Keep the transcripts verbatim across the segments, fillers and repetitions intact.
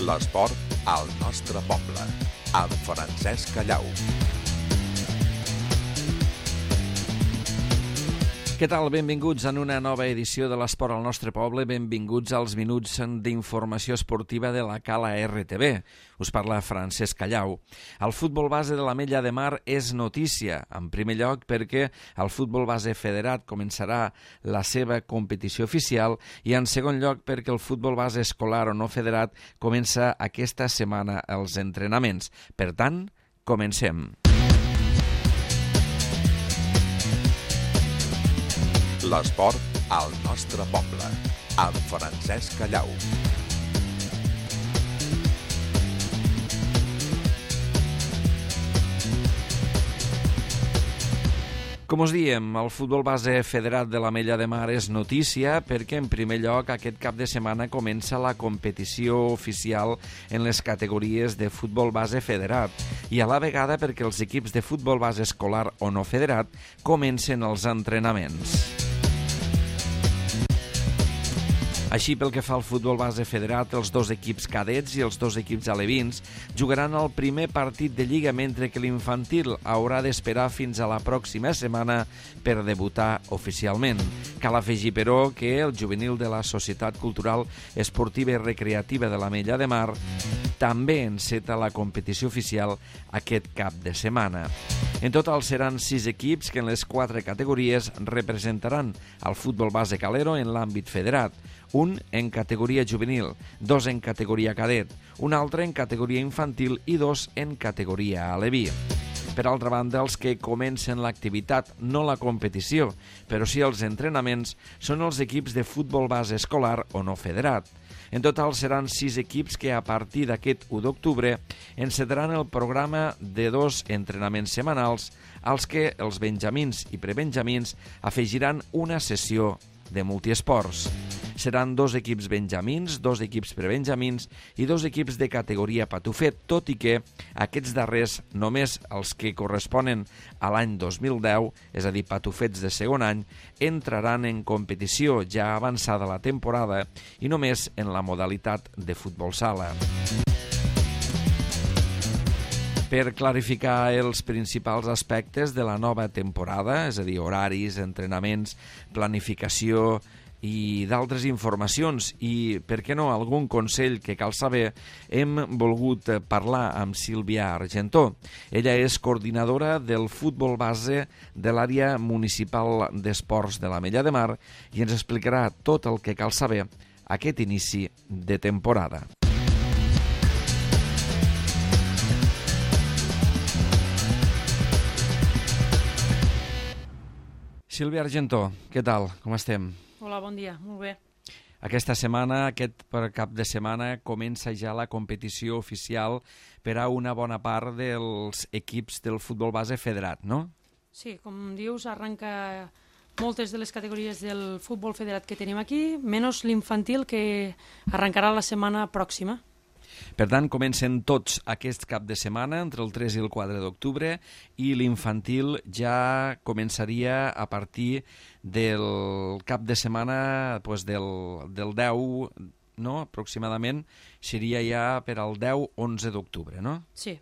L'esport al nostre poble, amb Francesc Callau. Què tal? Benvinguts en una nova edició de l'Esport al nostre poble. Benvinguts als minuts d'informació esportiva de la Cala R T V. Us parla Francesc Callau. El futbol base de l'Ametlla de Mar és notícia. En primer lloc perquè el futbol base federat començarà la seva competició oficial i en segon lloc perquè el futbol base escolar o no federat comença aquesta setmana els entrenaments. Per tant, comencem. L'esport al nostre poble, amb Francesc Callau. Com us diem, el futbol base federat de l'Ametlla de Mar és notícia perquè, en primer lloc, aquest cap de setmana comença la competició oficial en les categories de futbol base federat i a la vegada perquè els equips de futbol base escolar o no federat comencen els entrenaments. Així, pel que fa al futbol base federat, els dos equips cadets i els dos equips alevins jugaran el primer partit de Lliga, mentre que l'infantil haurà d'esperar fins a la pròxima setmana per debutar oficialment. Cal afegir, però, que el juvenil de la Societat Cultural Esportiva i Recreativa de l'Ametlla de Mar també enceta la competició oficial aquest cap de setmana. En total seran sis equips que en les quatre categories representaran el futbol base calero en l'àmbit federat, un en categoria juvenil, dos en categoria cadet, un altre en categoria infantil i dos en categoria aleví. Per altra banda, els que comencen l'activitat, no la competició, però sí els entrenaments, són els equips de futbol base escolar o no federat. En total seran sis equips que a partir d'aquest u d'octubre encetaran el programa de dos entrenaments setmanals als que els benjamins i prebenjamins afegiran una sessió de multiesports. Seran dos equips benjamins, dos equips prebenjamins i dos equips de categoria patufet, tot i que aquests darrers, només els que corresponen a l'any dos mil deu, és a dir, patufets de segon any, entraran en competició ja avançada la temporada i només en la modalitat de futbol sala. Per clarificar els principals aspectes de la nova temporada, és a dir, horaris, entrenaments, planificació i d'altres informacions i, per què no, algun consell que cal saber, hem volgut parlar amb Sílvia Argentó. Ella és coordinadora del futbol base de l'àrea municipal d'esports de l'Ametlla de Mar i ens explicarà tot el que cal saber aquest inici de temporada. Sílvia Argentó, què tal? Com estem? Hola, bon dia, molt bé. Aquesta setmana, aquest cap de setmana, comença ja la competició oficial per a una bona part dels equips del futbol base federat, no? Sí, com dius, arranca moltes de les categories del futbol federat que tenim aquí, menys l'infantil, que arrencarà la setmana pròxima. Per tant, comencen tots aquest cap de setmana, entre el tres i el quatre d'octubre, i l'infantil ja començaria a partir del cap de setmana doncs del, del deu, no? Aproximadament, seria ja per al deu onze d'octubre, no? Sí.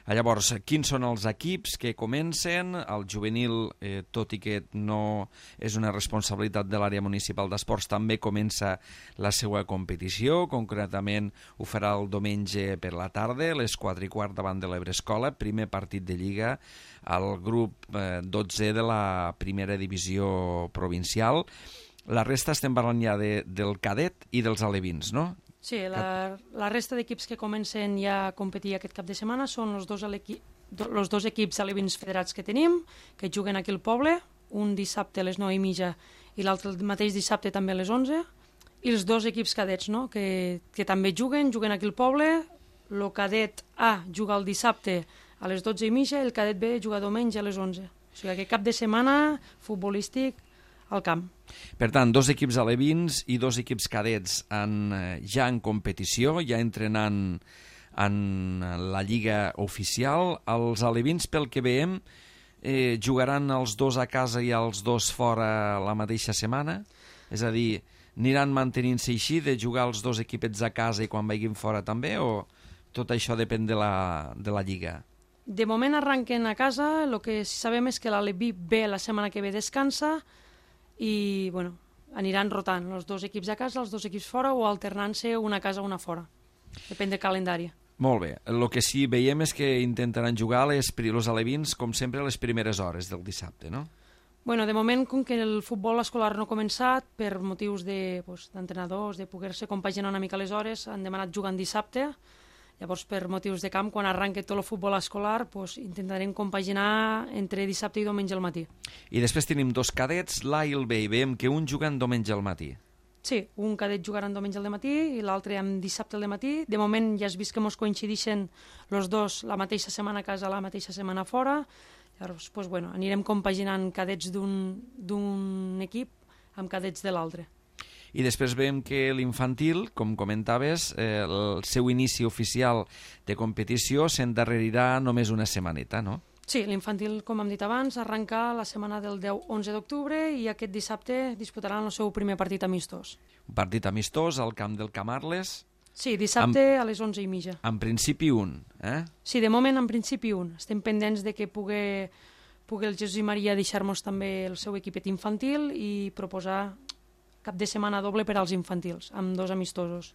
Llavors, quins són els equips que comencen? El juvenil, eh, tot i que no és una responsabilitat de l'àrea municipal d'esports, també comença la seva competició. Concretament ho farà el diumenge per la tarda, a les quatre i quart davant de l'Ebrescola, primer partit de Lliga al grup eh, dotze de la primera divisió provincial. La resta estem parlant ja de, del cadet i dels alevins, no? Sí, la, la resta d'equips que comencen ja a competir aquest cap de setmana són els dos, els dos equips alevins federats que tenim, que juguen aquí al poble, un dissabte a les nou i mitja i l'altre el mateix dissabte també a les onze, i els dos equips cadets, no? que, que també juguen, juguen aquí al poble. El cadet A juga el dissabte a les dotze i mitja i el cadet B juga diumenge a les onze. O sigui, aquest cap de setmana futbolístic al camp. Per tant, dos equips alevins i dos equips cadets en, ja en competició, ja entrenant en la lliga oficial. Els alevins, pel que veiem, eh, jugaran els dos a casa i els dos fora la mateixa setmana? És a dir, Aniran mantenint-se així, de jugar els dos equipets a casa i quan vagin fora també, o tot això depèn de la, de la Lliga? De moment arranquen a casa, el que sabem és que l'Aleví B la setmana que ve descansa i bueno, aniran rotant els dos equips a casa, els dos equips fora o alternant-se una a casa una fora. Depèn del calendari. Molt bé. El que sí veiem és que intentaran jugar les, els alevins, com sempre, a les primeres hores del dissabte, no? Bueno, de moment, com que el futbol escolar no ha començat, per motius de, pues, d'entrenadors, de poder-se compaginar una mica les hores, han demanat jugar en dissabte. Llavors, per motius de camp, quan arranque tot el futbol escolar, pues, intentarem compaginar entre dissabte i diumenge al matí. I després tenim dos cadets, l'A i el B, i veiem que un juguen diumenge al matí. Sí, un cadet jugarà diumenge al matí i l'altre amb dissabte al matí. De moment ja has vist que ens coincideixen els dos la mateixa setmana a casa, la mateixa setmana fora. Llavors, pues, bueno, anirem compaginant cadets d'un, d'un equip amb cadets de l'altre. I després veiem que l'infantil, com comentaves, eh, el seu inici oficial de competició s'endarrerirà només una setmaneta, no? Sí, l'infantil, com hem dit abans, arrenca la setmana del deu onze d'octubre i aquest dissabte disputaran el seu primer partit amistós. Un partit amistós al camp del Camarles. Sí, dissabte amb, a les onze i mitja. En principi un, eh? Sí, de moment en principi un. Estem pendents de que pugui, pugui el Jesús i Maria deixar-nos també el seu equipet infantil i proposar cap de setmana doble per als infantils, amb dos amistosos.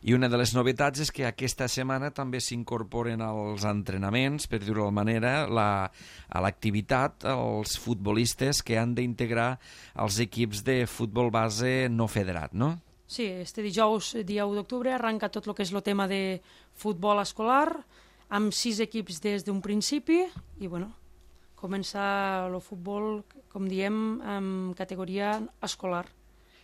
I una de les novetats és que aquesta setmana també s'incorporen als entrenaments, per dir-ho d'alguna manera, la, a l'activitat els futbolistes que han d'integrar els equips de futbol base no federat, no? Sí, este dijous, dia u d'octubre, arranca tot el que és el tema de futbol escolar, amb sis equips des d'un principi, i bueno, comença el futbol, com diem, amb categoria escolar.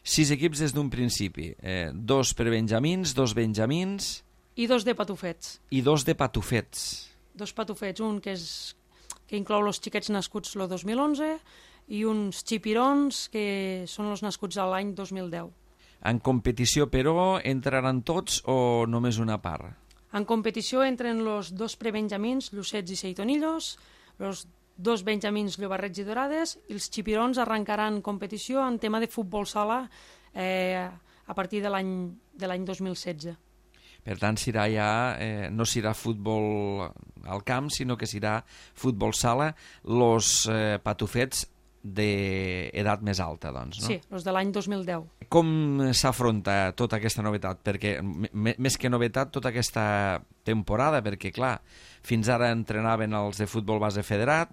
Sis equips des d'un principi, eh, dos per benjamins, dos benjamins... I dos de patufets. I dos de patufets. Dos patufets, un que, és, que inclou els xiquets nascuts el dos mil onze i uns xipirons que són els nascuts a l'any dos mil deu. En competició, però, entraran tots o només una part? En competició entren els dos prebenjamins, Llucets i Seitonillos, els dos benjamins Llobarrets i Dorades, i els xipirons arrencaran competició en tema de futbol sala eh, a partir de l'any de l'any dos mil setze. Per tant, serà ja, eh, no serà futbol al camp, sinó que serà futbol sala, els eh, patufets d'edat més alta, doncs, no? Sí, els de l'any dos mil deu. Com s'afronta tota aquesta novetat? Perquè, més que novetat, tota aquesta temporada, perquè, clar, fins ara entrenaven els de futbol base federat,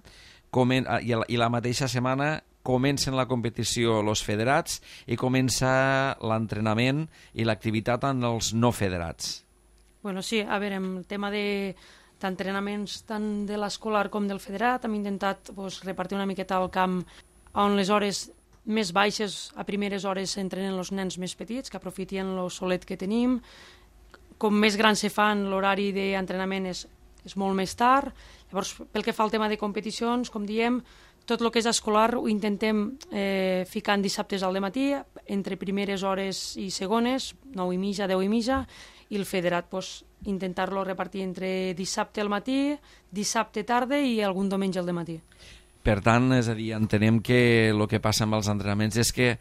comen i, la, i la mateixa setmana comencen la competició els federats i comença l'entrenament i l'activitat en els no federats. Bueno, sí, a veure, en el tema de d'entrenaments tant de l'escolar com del federat, hem intentat pues, repartir una miqueta al camp on les hores més baixes, a primeres hores s'entrenen els nens més petits, que aprofitien el solet que tenim. Com més grans se fan, l'horari d'entrenament és, és molt més tard. Llavors, pel que fa al tema de competicions, com diem, tot el que és escolar ho intentem eh, ficar en dissabtes al dematí, entre primeres hores i segones, nou i mitja, deu i mitja, i el federat pues, intentar-lo repartir entre dissabte al matí, dissabte tarda i algun diumenge al dematí. Per tant, és a dir, entenem que el que passa amb els entrenaments és que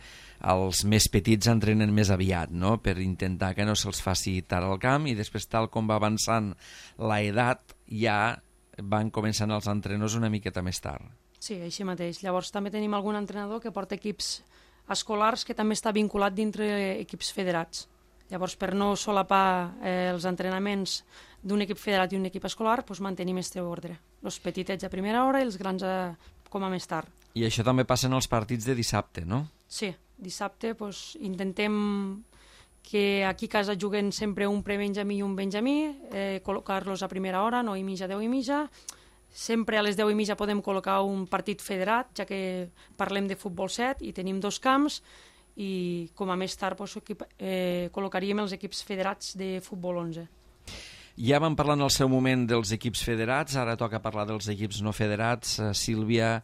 els més petits entrenen més aviat, no?, per intentar que no se'ls faci tard al camp, i després, tal com va avançant l'edat, ja van començant els entrenadors una miqueta més tard. Sí, així mateix. Llavors també tenim algun entrenador que porta equips escolars que també està vinculat dintre equips federats. Llavors, per no solapar eh, els entrenaments d'un equip federat i un equip escolar, doncs mantenim este ordre. Els petitets a primera hora i els grans a, com a més tard. I això també passa en els partits de dissabte, no? Sí, dissabte doncs, intentem que aquí a casa juguen sempre un prebenjamí i un benjamí, eh, col·locar-los a primera hora, nou i mitja, deu i mitja. Sempre a les deu i mitja podem col·locar un partit federat, ja que parlem de futbol set i tenim dos camps, i com a més tard doncs, equip, eh, col·locaríem els equips federats de futbol onze. Ja vam parlar en el seu moment dels equips federats, ara toca parlar dels equips no federats. Uh, Sílvia,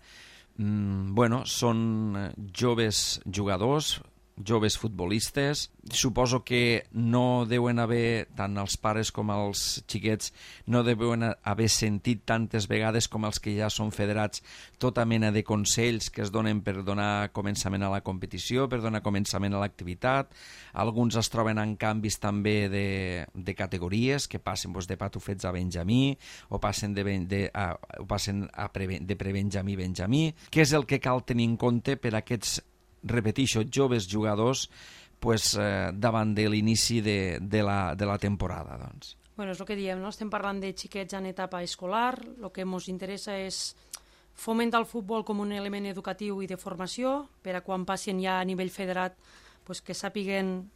mm, bueno, són joves jugadors, joves futbolistes. Suposo que no deuen haver, tant els pares com els xiquets, no deuen haver sentit tantes vegades com els que ja són federats tota mena de consells que es donen per donar començament a la competició, per donar començament a l'activitat. Alguns es troben en canvis també de, de categories, que passen doncs, de patufets a benjamí, o passen de, de, a, o passen a pre, de prebenjamí a benjamí. Què és el que cal tenir en compte per a aquests, repeteixo, joves jugadors pues, eh, davant de l'inici de, de, la, de la temporada? Doncs. Bueno, és el que diem, no? Estem parlant de xiquets en etapa escolar, el que ens interessa és fomentar el futbol com un element educatiu i de formació, per a quan passin ja a nivell federat pues, que sàpiguen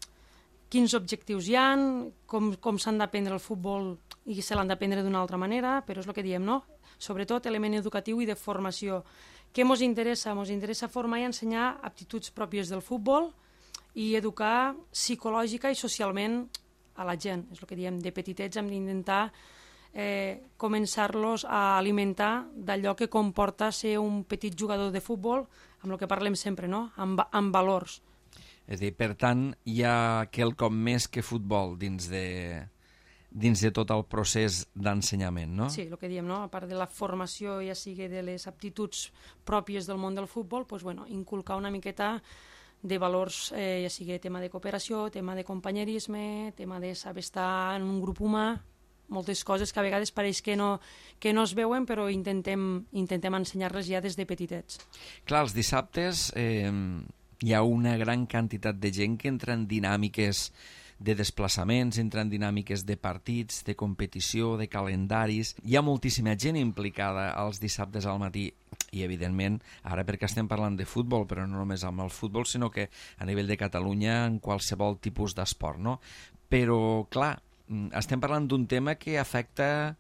quins objectius hi ha, com, com s'han d'aprendre el futbol i se l'han d'aprendre d'una altra manera, però és el que diem, no? Sobretot element educatiu i de formació. Què ens interessa? Ens interessa formar i ensenyar aptituds pròpies del futbol i educar psicològica i socialment a la gent. És el que diem, de petitets hem d'intentar eh, començar-los a alimentar d'allò que comporta ser un petit jugador de futbol, amb el que parlem sempre, no? amb, amb valors. És a dir, per tant, hi ha quelcom més que futbol dins de... dins de tot el procés d'ensenyament, no? Sí, el que diem, no? A part de la formació, ja sigui de les aptituds pròpies del món del futbol, pues, bueno, inculcar una miqueta de valors, eh, ja sigui tema de cooperació, tema de companyerisme, tema de saber estar en un grup humà, moltes coses que a vegades pareix que no, que no es veuen, però intentem, intentem ensenyar-les ja des de petitets. Clar, els dissabtes eh, hi ha una gran quantitat de gent que entra en dinàmiques de desplaçaments, entren dinàmiques de partits, de competició, de calendaris. Hi ha moltíssima gent implicada els dissabtes al matí i, evidentment, ara perquè estem parlant de futbol, però no només amb el futbol, sinó que a nivell de Catalunya en qualsevol tipus d'esport, no? Però, clar, estem parlant d'un tema que afecta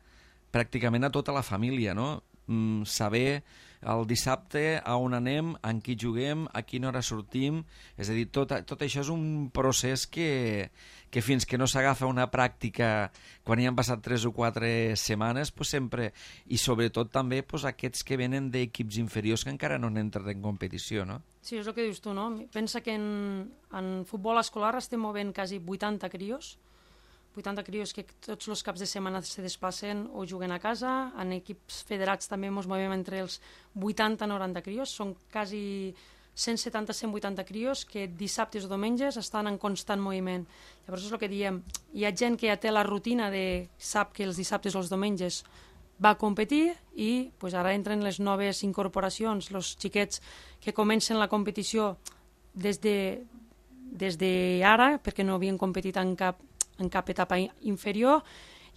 pràcticament a tota la família, no? Mm, saber el dissabte a on anem, en qui juguem, a quina hora sortim, és a dir, tot, tot això és un procés que, que fins que no s'agafa una pràctica quan hi han passat tres o quatre setmanes, pues sempre, i sobretot també pues, aquests que venen d'equips inferiors que encara no han entrat en competició, no? Sí, és el que dius tu, no? Pensa que en, en futbol escolar estem movent quasi vuitanta crios, vuitanta crios que tots els caps de setmana se desplacen o juguen a casa. En equips federats també ens movem entre els vuitanta a noranta crios. Són quasi cent setanta a cent vuitanta crios que dissabtes o diumenges estan en constant moviment. Llavors és el que diem. Hi ha gent que ja té la rutina de sap que els dissabtes o els diumenges va competir i pues, ara entren les noves incorporacions, els xiquets que comencen la competició des de, des de ara, perquè no havien competit en cap en cap etapa inferior,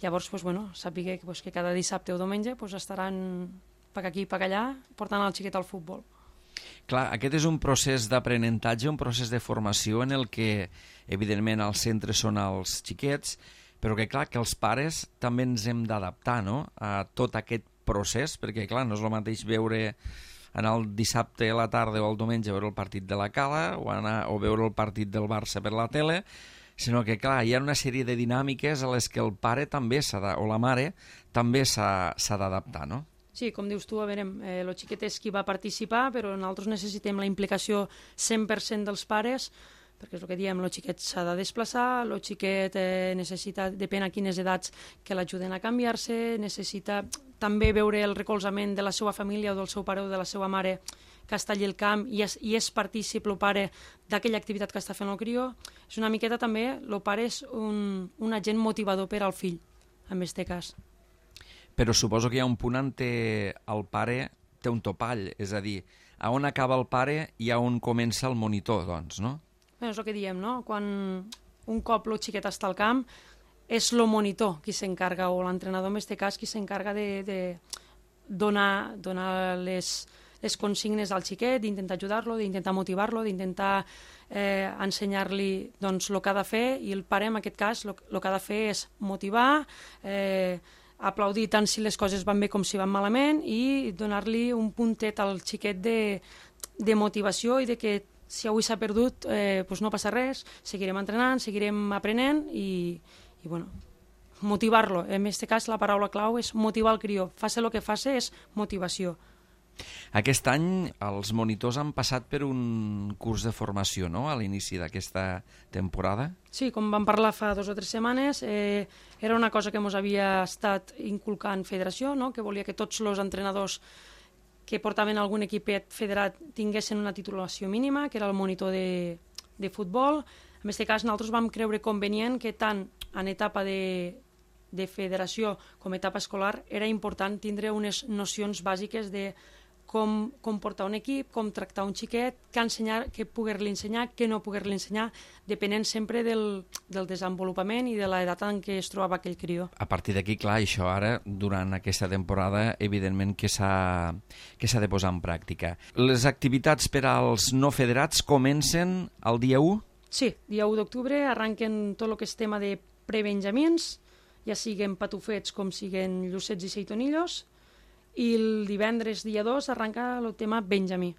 llavors pues, bueno, sàpiga pues, que cada dissabte o diumenge pues, estaran per aquí i per allà portant el xiquet al futbol. Clar, aquest és un procés d'aprenentatge, un procés de formació en el que, evidentment, els centres són els xiquets, però que, clar, que els pares també ens hem d'adaptar, no?, a tot aquest procés, perquè, clar, no és el mateix veure anar el dissabte a la tarda o el diumenge veure el partit de la Cala o, anar, o veure el partit del Barça per la tele, sinó que, clar, hi ha una sèrie de dinàmiques a les que el pare també s'ha de, o la mare també s'ha d'adaptar, no? Sí, com dius tu, a veure, eh, el xiquet és qui va participar, però nosaltres necessitem la implicació cent per cent dels pares, perquè és el que diem, el xiquet s'ha de desplaçar, el xiquet eh, necessita, depèn a quines edats, que l'ajuden a canviar-se, necessita també veure el recolzament de la seva família o del seu pare o de la seva mare que està allà al camp i és, i és partícip el pare d'aquella activitat que està fent el crió. És una miqueta també, el pare és un, un agent motivador per al fill, en aquest cas. Però suposo que hi ha un punt on el pare té un topall, és a dir, a on acaba el pare i a on comença el monitor, doncs, no? Bé, és el que diem, no? Quan un cop el xiquet està al camp, és el monitor qui s'encarga, o l'entrenador en aquest cas, qui s'encarga de, de donar, donar les... les consignes al xiquet, d'intentar ajudar-lo, d'intentar motivar-lo, d'intentar eh, ensenyar-li doncs, el que ha de fer, i el pare, en aquest cas, el que ha de fer és motivar, eh, aplaudir tant si les coses van bé com si van malament i donar-li un puntet al xiquet de, de motivació i de que si avui s'ha perdut eh, doncs no passa res, seguirem entrenant, seguirem aprenent i, i bueno, motivar-lo. En aquest cas, la paraula clau és motivar el crió. Faci el que faci és motivació. Aquest any els monitors han passat per un curs de formació, no?, a l'inici d'aquesta temporada. Sí, com vam parlar fa dues o tres setmanes, eh, era una cosa que ens havia estat inculcant Federació, no?, que volia que tots els entrenadors que portaven algun equipet federat tinguessin una titulació mínima, que era el monitor de, de futbol. En aquest cas, nosaltres vam creure convenient que tant en etapa de, de federació com etapa escolar era important tindre unes nocions bàsiques de com, com portar un equip, com tractar un xiquet, què ensenyar, què poder-li ensenyar, què no poder-li ensenyar, depenent sempre del, del desenvolupament i de l'edat en què es trobava aquell crió. A partir d'aquí, clar, això ara, durant aquesta temporada, evidentment que s'ha que s'ha de posar en pràctica. Les activitats per als no federats comencen el dia u? Sí, dia u d'octubre arranquen tot el que és tema de prebenjamins, ja siguen patufets com siguen llucets i seitonillos, i el divendres, dia dos, arranca el tema benjamí.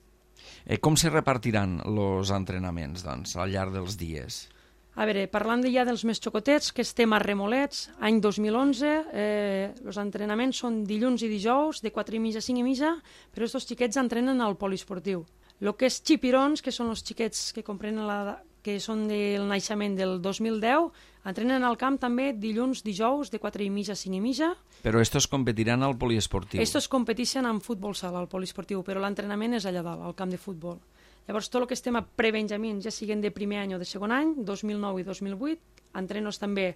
Eh, com se repartiran els entrenaments, doncs, al llarg dels dies? A veure, parlant ja dels més xocotets, que estem a Remolets, any dos mil onze, eh, els entrenaments són dilluns i dijous, de quatre i mitja a cinc i mitja, però aquests xiquets entrenen al poliesportiu. El que és xipirons, que són els xiquets que comprenen la, que són del naixement del dos mil deu, entrenen al camp també dilluns, dijous, de quatre i mitja a cinc i mitja. Però estos competiran al poliesportiu? Estos competeixen en futbol sala, al poliesportiu, però l'entrenament és allà dalt, al camp de futbol. Llavors, tot el que estem a prebenjamins, ja siguen de primer any o de segon any, dos mil nou i dos mil vuit, entrenos també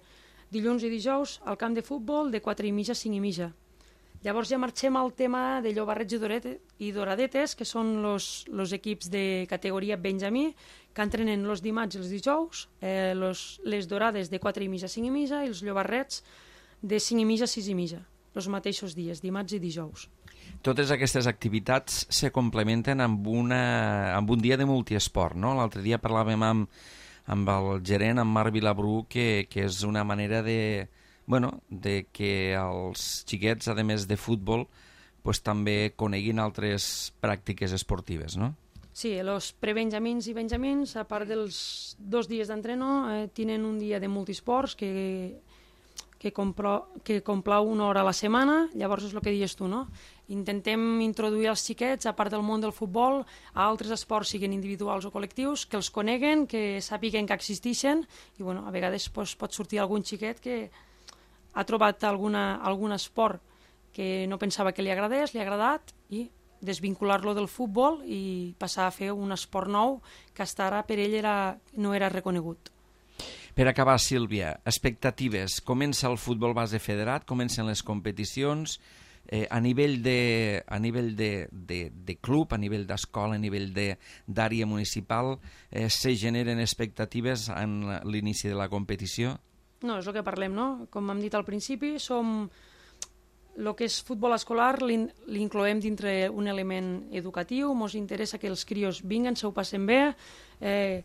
dilluns i dijous al camp de futbol de quatre i mitja a cinc i mitja. Llavors ja marxem al tema de llobarrets i doradetes, que són els equips de categoria benjamí, que entrenen els dimarts i els dijous, eh, los, les dorades de quatre i mitja a cinc i mitja i els llobarrets de cinc i mitja a sis i mitja, els mateixos dies, dimarts i dijous. Totes aquestes activitats se complementen amb, una, amb un dia de multiesport, no? L'altre dia parlàvem amb, amb el gerent, amb Marc Vilabrú, que, que és una manera de, bueno, de que els xiquets, a més de futbol, pues, també coneguin altres pràctiques esportives, no? Sí, els prebenjamins i benjamins, a part dels dos dies d'entreno, eh, tenen un dia de multisports que, que, compro, que complau una hora a la setmana. Llavors és el que dius tu, no? Intentem introduir els xiquets, a part del món del futbol, a altres esports, siguin individuals o col·lectius, que els coneguen, que sàpiguen que existeixen, i bueno, a vegades pues, pot sortir algun xiquet que ha trobat alguna, algun esport que no pensava que li agradés, li ha agradat, i desvincular-lo del futbol i passar a fer un esport nou que fins ara per ell era, no era reconegut. Per acabar, Sílvia, expectatives. Comença el futbol base federat, comencen les competicions, eh, a nivell, de, a nivell de, de, de club, a nivell d'escola, a nivell d'àrea municipal, eh, se generen expectatives en l'inici de la competició? No, és el que parlem, no? Com hem dit al principi, som... El que és futbol escolar l'incloem dintre un element educatiu, ens interessa que els crios vinguen, se ho passen bé, eh,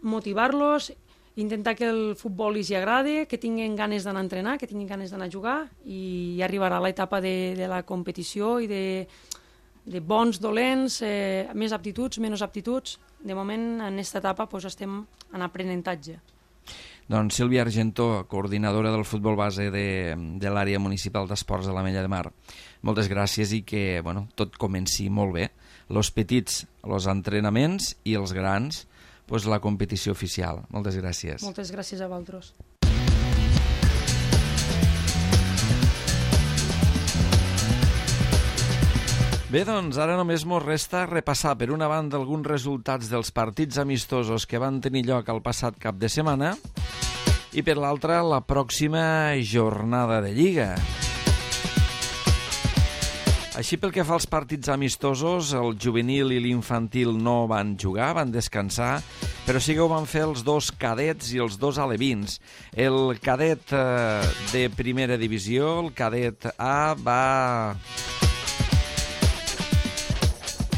motivar-los, intentar que el futbol els agradi, que tinguin ganes d'anar a entrenar, que tinguin ganes d'anar a jugar, i arribarà l'etapa de, de la competició i de, de bons, dolents, eh, més aptituds, menys aptituds. De moment, en aquesta etapa, pues, estem en aprenentatge. Doncs Sílvia Argentó, coordinadora del futbol base de, de l'àrea municipal d'esports de l'Ametlla de Mar. Moltes gràcies i que bueno, tot comenci molt bé. Los petits, els entrenaments, i els grans, pues, la competició oficial. Moltes gràcies. Moltes gràcies a vosaltres. Bé, doncs ara només mos resta repassar per una banda alguns resultats dels partits amistosos que van tenir lloc el passat cap de setmana i per l'altra la pròxima jornada de Lliga. Així pel que fa als partits amistosos, el juvenil i l'infantil no van jugar, van descansar, però sí que ho van fer els dos cadets i els dos alevins. El cadet eh, de primera divisió, el cadet A, va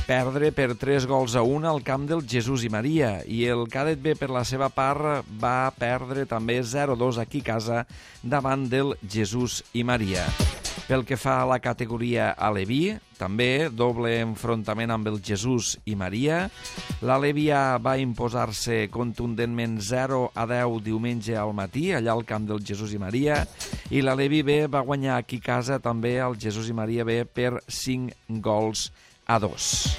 perdre per tres gols a un al camp del Jesús i Maria, i el cadet B, per la seva part, va perdre també zero a dos aquí a casa davant del Jesús i Maria. Pel que fa a la categoria aleví, també doble enfrontament amb el Jesús i Maria. L'Aleví A va imposar-se contundentment zero a deu diumenge al matí, allà al camp del Jesús i Maria, i l'Aleví B va guanyar aquí a casa també al Jesús i Maria B per cinc gols a dos.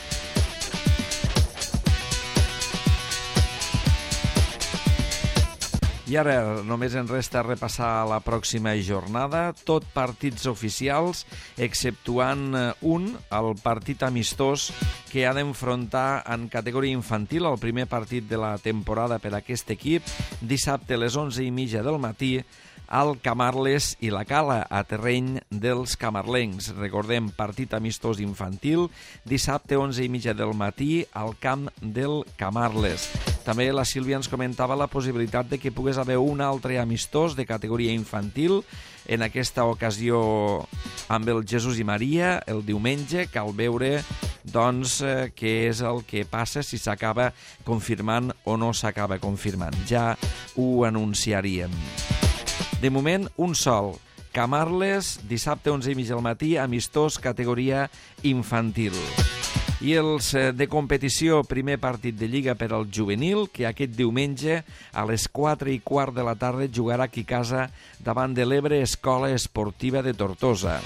I ara només ens resta repassar la pròxima jornada, tot partits oficials, exceptuant un, el partit amistós que ha d'enfrontar en categoria infantil el primer partit de la temporada per a aquest equip, dissabte a les onze i mitja del matí, al Camarles i la Cala, a terreny dels camarlencs. Recordem, partit amistós infantil, dissabte onze i mitja del matí al camp del Camarles. També la Sílvia ens comentava la possibilitat de que pogués haver un altre amistós de categoria infantil, en aquesta ocasió amb el Jesús i Maria, el diumenge. Cal veure doncs eh, què és el que passa, si s'acaba confirmant o no s'acaba confirmant. Ja ho anunciaríem. De moment, un sol. Camarles, dissabte onze i mitja del matí, amistós categoria infantil. I els de competició, primer partit de Lliga per al juvenil, que aquest diumenge a les quatre i quart de la tarda jugarà aquí a casa davant de l'Ebre Escola Esportiva de Tortosa.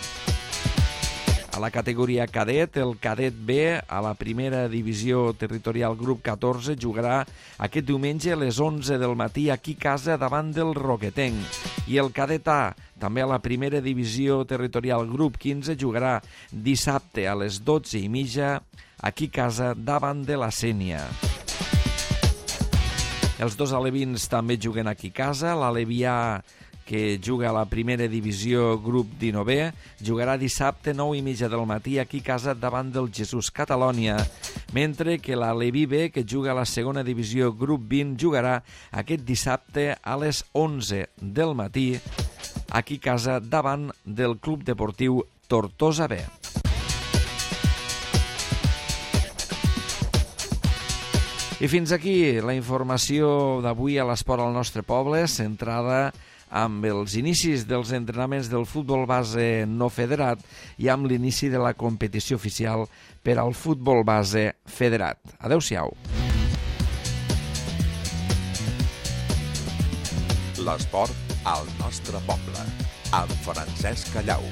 A la categoria cadet, el cadet B, a la primera divisió territorial grup catorze, jugarà aquest diumenge a les onze del matí aquí a casa davant del Roquetenc. I el cadet A, també a la primera divisió territorial grup quinze, jugarà dissabte a les dotze i mitja aquí a casa davant de la Sénia. Els dos alevins també juguen aquí a casa. L'Alevià, que juga a la primera divisió grup dinou, jugarà dissabte nou i mitja del matí aquí a casa davant del Jesús Catalònia, mentre que l'Aleví B, que juga a la segona divisió grup vint, jugarà aquest dissabte a les onze del matí aquí a casa davant del Club Deportiu Tortosa B. I fins aquí la informació d'avui a l'Esport al nostre poble, centrada amb els inicis dels entrenaments del futbol base no federat i amb l'inici de la competició oficial per al futbol base federat. Adéu-siau. L'esport al nostre poble, amb Francesc Callau.